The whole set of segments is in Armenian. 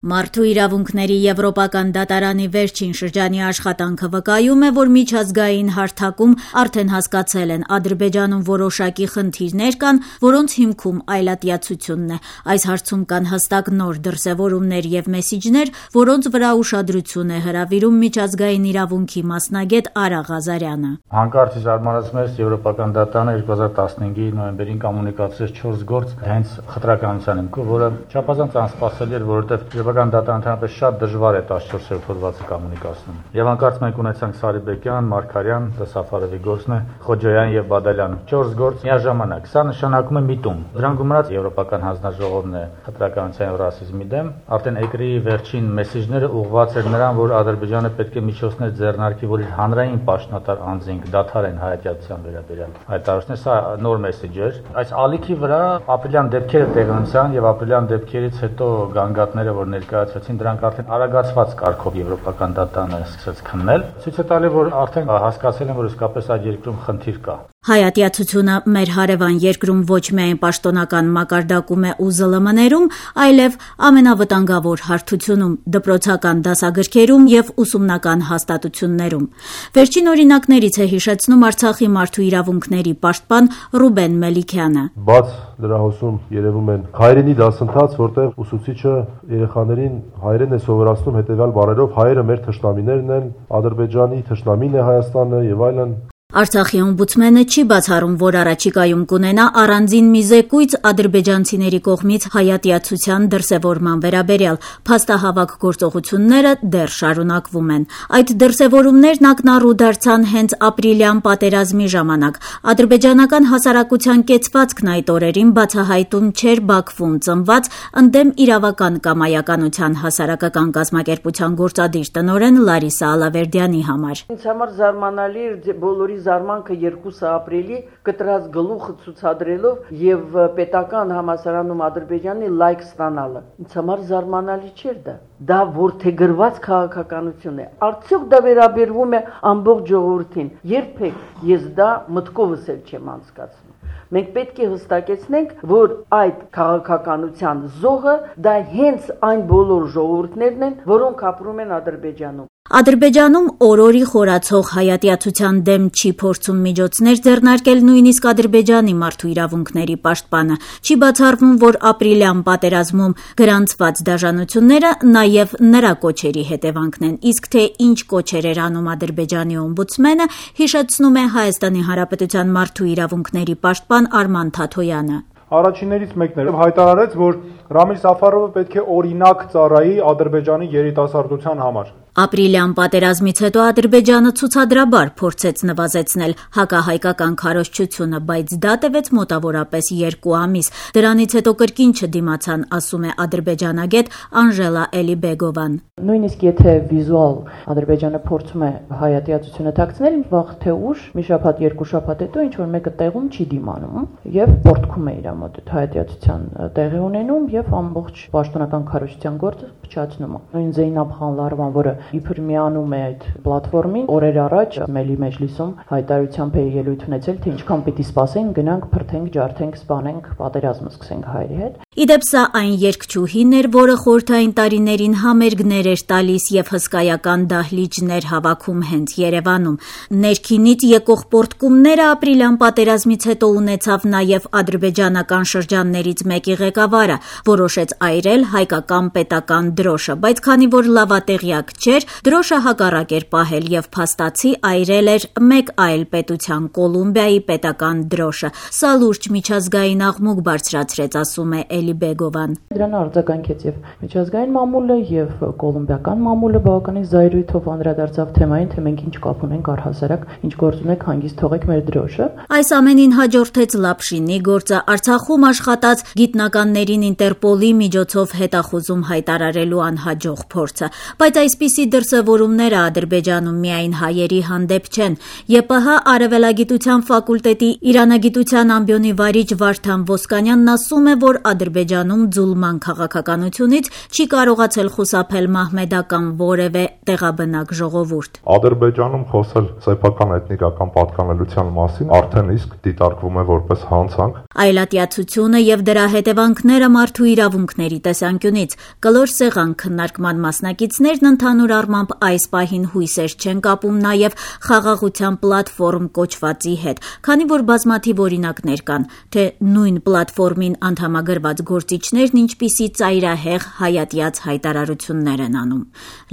Մարդու իրավունքների Եվրոպական դատարանի վերջին շրջանի աշխատանքը վկայում է, որ միջազգային հարթակում արդեն հասկացել են Ադրբեջանում որոշակի խնդիրներ կան, որոնց հիմքում այլատյացությունն է։ Այս հարցում կան հստակ նոր դրսևորումներ եւ մեսիջներ, որոնց վրա ուշադրություն է հրավիրում միջազգային իրավունքի մասնագետ Արա Ղազարյանը։ Հանկարծ զարմանացնում է Եվրոպական դատարանը 2015-ի նոյեմբերին կոմունիկացրեց 4 գործ հենց խտրականության հիմքով, որը չափազանց անսպասելի էր, որովհետեւ դատարանը ընդհանրապես շատ դժվար է 14-րդ հոդվածը կոմունիկացնում։ Եվ հանկարծ մենք ունեցանք Սարիբեկյան, Մարգարյան, Սաֆարովի գործն է, Խոջոյան եւ Բադալյան 4 գործ միաժամանակ։ Սա նշանակում է միտում։ Դրան գումարած Եվրոպական հանձնաժողովն է խտրականության եւ ռասիզմի դեմ, արդեն ԵԿՐԻ-ի վերջին մեսիջները ուղղված էր նրան, որ Ադրբեջանը պետք է միջոցներ ձեռնարկի, որ իր հանրային պաշտոնատար անձինք դադարեն հայատյացության վերաբերյալ հայտարարությունները։ Սա նոր մեսիջ էր։ Այս ալիքի վրա ապրիլյան դեպքերը տեղի ունեցան եւ ապրիլյան դեպքերից հետո գանգատները, որ ներկայացվեցին, դրանք արդեն արագացված կարգով Եվրոպական դատարանը սկսեց քննել, ցույց է տալի, որ արդեն հասկացել են, որ իսկապես այդ երկրում խնդիր կա։ Հայատյացությունը մեր հարևան երկրում ոչ միայն պաշտոնական մակարդակում է ու ԶԼՄ-ներում, այլև ամենավտանգավոր հարթությունում, դպրոցական դասագրքերում եւ ուսումնական հաստատություններում։ Վերջին օրինակներից է հիշեցնում Արցախի մարդու իրավունքների պաշտպան Ռուբեն Մելիքյանը։ Բաց դրահոսում երևում են հայերենի դասընթաց, որտեղ ուսուցիչը երեխաներին հայերեն է սովորացնում հետեւյալ բառերով. հայերը մեր թշնամիներն են, Ադրբեջանի թշնամին է Հայաստանը եւ այլն։ Արցախի օմբուդսմենը չի բացառում, որ առաջիկայում կունենա առանձին մի զեկույց ադրբեջանցիների կողմից հայատյացության դրսևորման վերաբերյալ։ Փաստահավաք գործողությունները դեռ շարունակվում են։ Այդ դրսևորումներն ակնառու դարձան հենց ապրիլյան պատերազմի ժամանակ։ Ադրբեջանական հասարակության կեցվածքն այդ օրերին բացահայտում չէր Բաքվում ծնված ընդդեմ իրավական կամայականության հասարակական կազմակերպության գործադիր տնօրեն Լարիսա Ալավերդյանի համար։ Ինձ համար զարմանալի էր բոլորի զարմանքը 2 ապրիլի կտրած գլուխը ցուցադրելով եւ պետական համալսարանում Ադրբեջանի լայք ստանալը։ Ինձ համար զարմանալի չէր դա։ Դա որդեգրված քաղաքականություն է։ Արդյոք դա վերաբերվում է ամբողջ ժողովրդին։ Երբեք ես դա մտքովս էլ չեմ անցկացնում։ Մենք պետք է հստակեցնենք, որ այդ քաղաքականության զոհը դա հենց այն բոլոր ժողովուրդներն են, որոնք ապրում են Ադրբեջանում։ Ադրբեջանում օրորի խորացող հայատյացության դեմ չի փորձում միջոցներ ձեռնարկել նույնիսկ Ադրբեջանի մարդու իրավունքների պաշտպանը։ Չի բացառվում, որ ապրիլյան պատերազմում գրանցված դաժանությունները նաև նրա կոչերի հետևանքն են։ Իսկ թե ինչ կոչեր էր անում Ադրբեջանի օմբուդսմենը, հիշեցնում է Հայաստանի Հանրապետության մարդու իրավունքների պաշտպան Արման Թաթոյանը։ Առաջիններից մեկն էր հայտարարեց, որ Ռամիլ Սաֆարովը պետք է օրինակ ծառայի Ադրբեջանի երիտասարդության համար։ Ապրիլյան պատերազմից հետո Ադրբեջանը ցուցադրաբար փորձեց նվազեցնել հակահայկական քարոզչությունը, բայց դա տևեց մոտավորապես 2 ամիս։ Դրանից հետո կրկին չդիմացան, ասում է ադրբեջանագետ Անժելա Էլիբեգովան։ Նույնիսկ եթե վիզուալ Ադրբեջանը փորձում է հայատյացությունը թաքցնել, վաղ թե ուշ, մի շաբաթ, 2 շաբաթ հետո ինչ որ մեկը տեղում չի դիմանում եւ պորտքում է իր մոտ հայատյացության տեղի ունենում եւ ամբողջ պաշտոնական քարոզչության գործը փչացնում է։ Նույն Զեյնաբ Խանլարովան, որը իբր միանում է այդ պլատֆորմին, օրեր առաջ Մելի Մեջլիսում հայտարարությամբ է ելույթ ունեցել, թե ինչքան պիտի սպասենք, գնանք, փրթենք, ջարդենք, սպանենք, պատերազմը սկսենք հայերի հետ։ Իդեպ սա այն երգչուհին էր, որը խորհրդային տարիներին համերգներ էր տալիս եւ հսկայական դահլիճներ հավաքում հենց Երևանում։ Ներքինից եկող պորտկումները ապրիլյան պատերազմից հետո ունեցավ նաեւ ադրբեջանական շրջաններից մեկի ղեկավարը, որոշեց այրել հայկական պետական դրոշը, բայց քանի որ լավատեղյակ չէր, դրոշը հակառակ էր պահել եւ փաստացի այրել էր մեկ այլ պետության Կոլումբիայի պետական դրոշը։ Սա լուրջ միջազգային աղմուկ բարձրացրեց, ասում է Էլիբեգովան։ Դրան արձագանքեց եւ միջազգային մամուլը եւ կոլումբիական մամուլը բավականին զայրույթով անդրադարձավ թեմային, թե մենք ինչ կապ ունենք առհասարակ, ինչ գործ ունենք, հանգիստ թողեք մեր դրոշը։ Այս ամենին հաջորդեց Լապշինի գործը, Արցախում աշխատած գիտնականներին Ինտերպոլի միջոցով հետախուզում հայտարարելու անհաջող փորձը, բայց այսպիսի դրսևորումները Ադրբեջանում միայն հայերի հանդեպ չեն։ ԵՊՀ Արևելագիտության ֆակուլտետի իրանագիտության ամբիոնի վարիչ Վարդան Ոսկանյանն ասում է, որ Ադրբեջանում ձուլման քաղաքականությունից չի կարողացել խուսափել մահմեդական որևէ տեղաբնակ ժողովուրդ։ Ադրբեջանում խոսել սեփական էթնիկական պատկանելիության մասին արդեն իսկ դիտարկվում է որպես հանցանք։ Այլատյացությունը եւ դրա հետևանքները մարդու իրավունքների տեսանկյունից կլոր սեղան քննարկման մասնակիցներն ընդհանուր առմամբ այս պահին հույսեր չեն կապում նաեւ խաղաղության պլատֆորմ կոչվածի հետ, քանի որ բազմաթիվ օրինակներ կան, թե նույն պլատֆորմին անդամագրված գործիչներն ինչպիսի ծայրահեղ հայատյաց հայտարարություններ են անում։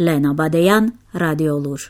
Լենա Բադեյան, Ռադիոլուր։